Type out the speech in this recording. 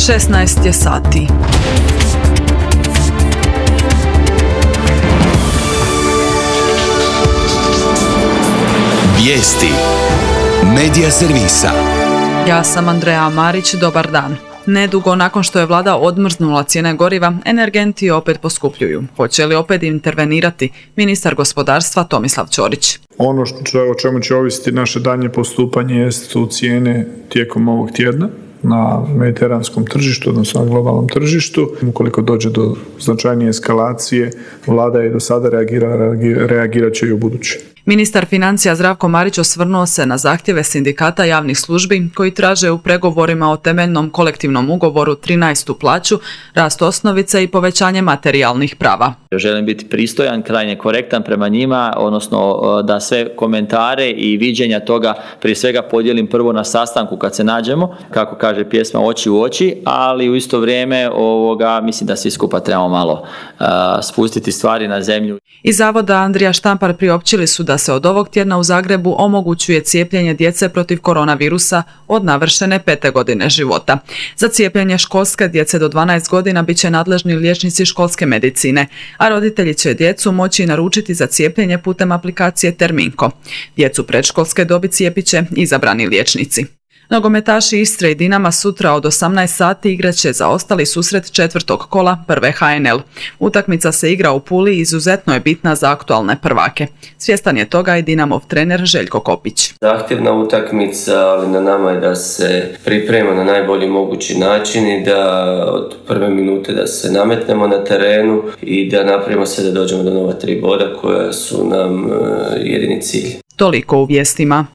16 je sati. Vijesti Medija servisa. Ja sam Andreja Marić, dobar dan. Nedugo nakon što je vlada odmrznula cijene goriva, energenti opet poskupljuju. Hoće li opet intervenirati ministar gospodarstva Tomislav Ćorić? Ono o čemu će ovisiti naše daljnje postupanje su cijene tijekom ovog tjedna na mediteranskom tržištu, odnosno na globalnom tržištu. Ukoliko dođe do značajnije eskalacije, vlada je do sada reagirat će i u buduće. Ministar financija Zdravko Marić osvrnuo se na zahtjeve sindikata javnih službi koji traže u pregovorima o temeljnom kolektivnom ugovoru 13. plaću, rast osnovice i povećanje materijalnih prava. Želim biti pristojan, krajnje korektan prema njima, odnosno da sve komentare i viđenja toga prije svega podijelim prvo na sastanku kad se nađemo, kako kaže pjesma, oči u oči, ali u isto vrijeme mislim da svi skupa trebamo malo spustiti stvari na zemlju. Iz Zavoda Andrija Štampar priopćili su da se od ovog tjedna u Zagrebu omogućuje cijepljenje djece protiv koronavirusa od navršene 5. godine života. Za cijepljenje školske djece do 12 godina bit će nadležni liječnici školske medicine, a roditelji će djecu moći naručiti za cijepljenje putem aplikacije Terminko. Djecu predškolske dobi cijepit će izabrani liječnici. Nogometaši Istre i Dinama sutra od 18 sati igrat će zaostali susret četvrtog kola prve HNL. Utakmica se igra u Puli i izuzetno je bitna za aktualne prvake. Svjestan je toga i Dinamov trener Željko Kopić. Zahtjevna utakmica, ali na nama je da se priprema na najbolji mogući način i da od prve minute da se nametnemo na terenu i da napravimo sve da dođemo do nova 3 boda koja su nam jedini cilj. Toliko u vijestima.